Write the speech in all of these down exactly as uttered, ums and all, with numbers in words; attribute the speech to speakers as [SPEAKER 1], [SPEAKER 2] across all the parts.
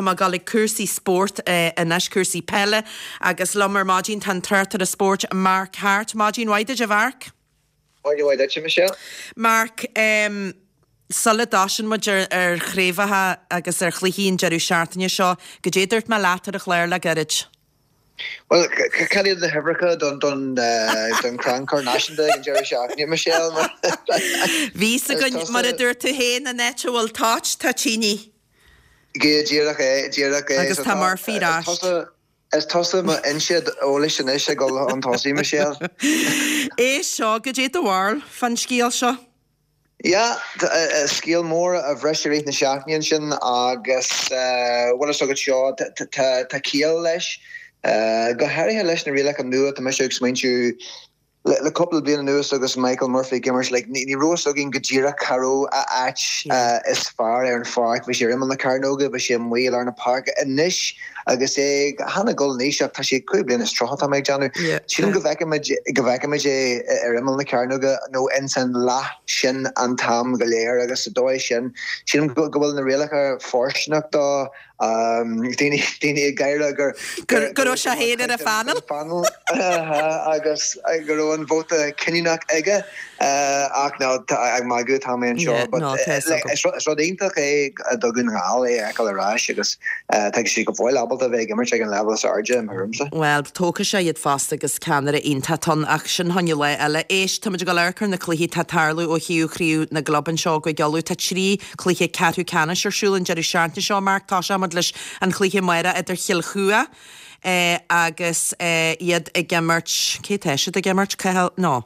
[SPEAKER 1] mé ag dul ag cúrsaí spóirt anois, cúrsaí peile, agus liom ar maidin tá an tráchtaire spóirt Mark Harte. Maidin mhaith duit, a Mhark.
[SPEAKER 2] Maidin mhaith duit, Michelle.
[SPEAKER 1] Mark, um, sula dtosaíonn muid ar, ar chraobhacha agus ar chluichí an deireadh seachtaine seo, goidé dúirt mé leat ar an chlár le gairid?
[SPEAKER 2] Well, cad iad na huimhreacha don don don Crannchur Náisiúnta ag an deireadh seachtaine, Michelle?
[SPEAKER 1] Bhí againn mar a dúirt tú féin an áit a bhfuil toit tá tine.
[SPEAKER 2] Go díreach é díreach é
[SPEAKER 1] Agus tá Murphy ar ais.
[SPEAKER 2] Is tusa mo fhoinse eolais anois ag dul chun tosaigh Michelle.
[SPEAKER 1] É seo goidé do bharúil fán scéal seo.
[SPEAKER 2] Ja, scéal mór a bhris i rith na seachtaine sin agus bhfuil a fhios agat seo tá ciall leis. Go háirithe leis na rialacha nua tá mise ag smaointiú le cúpla bliain anuas agus Michael Murphy ag imirt like, ní ní raibh a fhios againn go díreach cá raibh a áit is fearr ar an pháirc, bhí sé ar imeall na cearnóige, bhí sé amuigh i lár na páirce anois agus é chan ag dul in aois ach tá sé cúig bliana is tríocha tá mé ag déanamh. Sílim go bhfeicfimid go bhfeicfimid é ar imeall na cearnóige nó ins an leath sin an t-am go léir agus sa dóigh sin sílim go bhfuil na rialacha fóirsteanach do daoine daoine ag gáire gur
[SPEAKER 1] Go raibh sé féin ar an phainéal?
[SPEAKER 2] panel agus go raibh an vóta cinniúnach aige ach ná ag magadh tá mé anseo is rud iontach é do Dhún na nGall é a fheiceáil ar ais agus tá sé go fóill ábalta bheith ag imirt ag an leibhéal is airde i mo thuairimse.
[SPEAKER 1] Well, tógfaidh sé iad fosta agus ceannaire iontach ann ach sin fá choinne lá eile. Éist, táimid ag dul amharc ar na cluichí atá ag tarlú ó thaobh chraobh na gclub anseo i gCúige Uladh. Tá trí cluiche ceathrú ceannais ar siúl an deireadh seachtaine seo, Mark. Tá sé leis an chluiche amárach idir Chill Chua eh, agus eh, iad ag imirt cé tá siad ag imirt Cathal no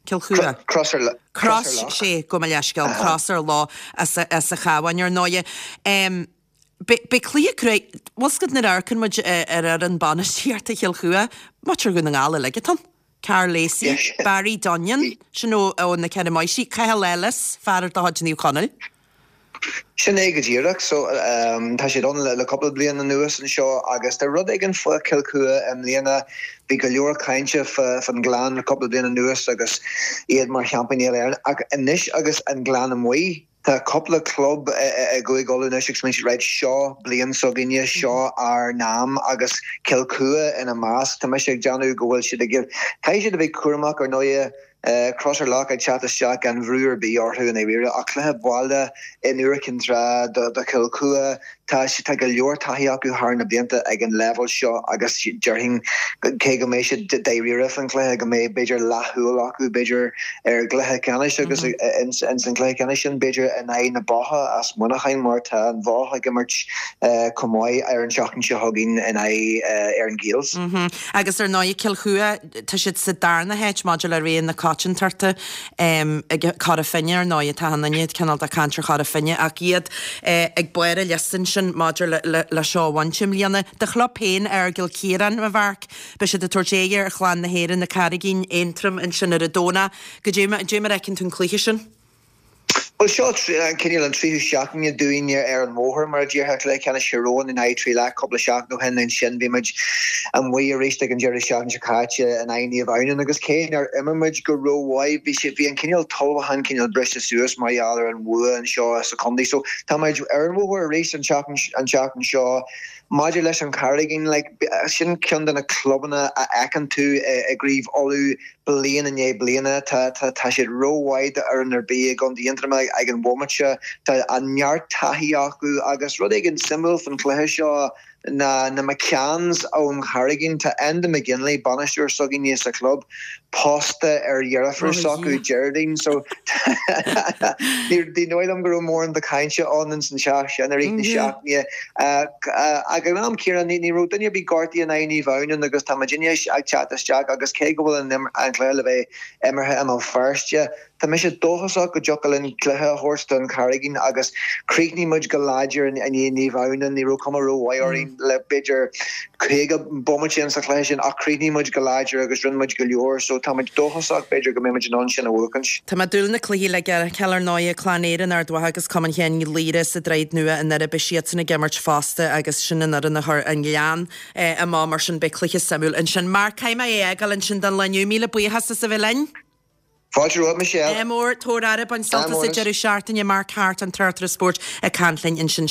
[SPEAKER 1] Cill Chua.
[SPEAKER 2] Cross
[SPEAKER 1] Cross sé go mo leithscéal Crois ar Loch as as an Chabhán ar ndóigh. Um, Be cluiche cré bhfuil na amharcann muid ar ar an bainistíocht Chill Chua, muintir Dhún na nGall uilig atá ann. Karl Lacey, Barry Dunnion, sin ó ó na Ceithre Máistrí, Cathal Ellis, fear de chuid Naomh Conaill.
[SPEAKER 2] Sin é go díreach so um, tá siad ann le, le cúpla bliain anuas anseo agus tá rud éigin faoi Chill Chua i mbliana bhí go leor cainte fan Ghleann le cúpla bliain anuas agus iad mar sheaimpíní Éireann ach anois agus an Gleann amuigh Tá cúpla club i gCúige Uladh anois ag smaointiú right seo bliain s'againne seo ár n-am agus Cill Chua ina measc Tá mise ag déanamh go bhfuil siad ag Caithfidh siad a bheith cúramach ar ndóigh Crois ar Loch ag teacht isteach gan bhrú ar bith orthu in éire ach cluiche baile in Iúr Cinn Trá do do Chill Chua tá tá go leor taithí acu thar na blianta ag an leibhéal seo agus déarfainn cé go mbeidh siad dáiríre fan cluiche go mbeidh b'fhéidir leathshúil acu b'fhéidir ar gcluiche ceannais agus in san cluiche ceannais sin b'fhéidir in aghaidh na Botha as Muineachán mar tá an Bhoth ag imirt chomh maith ar an seachtain seo chugainn in aghaidh ar an Gaels.
[SPEAKER 1] Agus ar ndóigh Cill Chua tá siad sa darna háit maidir le ré na coitiantachta ag Cora Finne ar ndóigh atá an duine cineál de caint ar Chora Finne ach iad ag barr an liosta sin maidir le le le seo a bhaint i mbliana. Do chlub féin Aireagal Ciaráin a Mharc, beidh siad ag tabhairt aghaidh ar Chlann na hÉireann na Carraigín Aontroim ansin ar an Domhnach. Goidé mar a fheiceann tú an cluiche sin?
[SPEAKER 2] Well seo an cineál an tríú seachtain dúinn ar an mbóthar mar a déarfá cluiche ceannais Thír Eoghain in aghaidh Trí Leath cúpla seachtain ó shin ansin bhí muid amuigh arís ag an deireadh seachtaine seo caite in aghaidh Naomh Adhamhnáin agus cé nár imir muid go rómhaith bhí sé bhí an cineál ullmhúchán cineál briste suas mar gheall ar an bhua anseo sa chontae so tá muid ar an bhóthar arís an tseachtain an tseachtain seo maidir leis an Charraigín like sin ceann de na clubanna a fheiceann tú i gCraobh Uladh bliain i ndiaidh bliana tá tá tá siad rómhaith d'fhoireann ar bith i gContae Aontroma ag an bhomaite tá an neart taithí acu agus rud éigin suimiúil fan chluiche seo na na McCanns ón Charraigín tá Enda McGinley bainisteoir s'againne sa chlub pósta ar dheirfiúr s'acu Geraldine so ní dóigh liom go raibh mórán de cainte ann in san teach sin i rith na seachtaine ag an am céanna ní raibh duine ar bith gortaithe in aghaidh Naomh Adhamhnáin agus tá muidinne ag teacht isteach agus cé go bhfuil an an cluiche le bheith imeartha i mBéal Feirste Tá mise dóchasach go dtiocfadh linn cluiche a thabhairt don Charraigín agus chríochnaigh muid go láidir i ndiaidh Naomh Adhamhnáin ní raibh cuma rómhaith orainn le b'fhéidir caoga bomaite sa chluiche sin ach chríochnaigh muid go láidir agus rinne muid go leor so tá muid dóchasach b'fhéidir go mbeidh muid in ann sin a bhuachaint.
[SPEAKER 1] Tá mé ag dúil na cluichí le feiceáil ar ndóigh Clann Éireann Ard Mhacha agus Cumann Sheáin Uí Laoire sa Droichead Nua i nDoire beidh siadsan ag imirt fosta agus sin an fhoireann a chuir an Gleann amach mar sin beidh cluiche suimiúil ansin. Mark caithfidh mé é a fhágáil ansin don lá inniu míle buíochas as a bheith linn.
[SPEAKER 2] Fáilte romhat Michelle.
[SPEAKER 1] Ádh mór tabhair aire bain sult as an deireadh seachtaine Mark Harte an tráchtaire spóirt ag caint linn ansin.